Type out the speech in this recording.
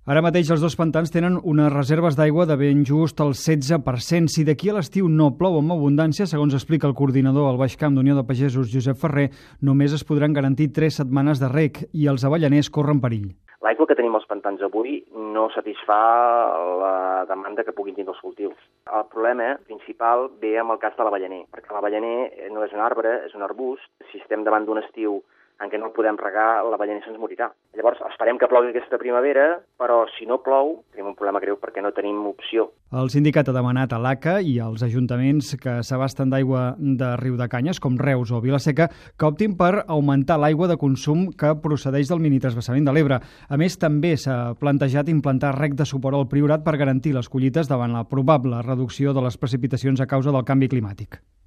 Ara mateix els dos pantans tenen unes reserves d'aigua de ben just el 16%. Si d'aquí a l'estiu no plou amb abundància, segons explica el coordinador al Baix Camp d'Unió de Pagesos, Josep Ferrer, només es podran garantir 3 setmanes de reg i els avellaners corren perill. L'aigua que tenim als pantans avui no satisfà la demanda que puguin tindre els cultius. El problema principal ve amb el cas de l'avellaner, perquè l'avellaner no és un arbre, és un arbust. Si estem davant d'un estiu en què no el podem regar, l'avellaner se'ns morirà. Llavors, esperem que plogui aquesta primavera, però si no plou, tenim un problema greu perquè no tenim opció. El sindicat ha demanat a l'ACA i als ajuntaments que s'abasten d'aigua de Riudecanyes, com Reus o Vila-seca, que optin per augmentar l'aigua de consum que procedeix del minitransvasament de l'Ebre. A més, també s'ha plantejat implantar reg de suport al Priorat per garantir les collites davant la probable reducció de les precipitacions a causa del canvi climàtic.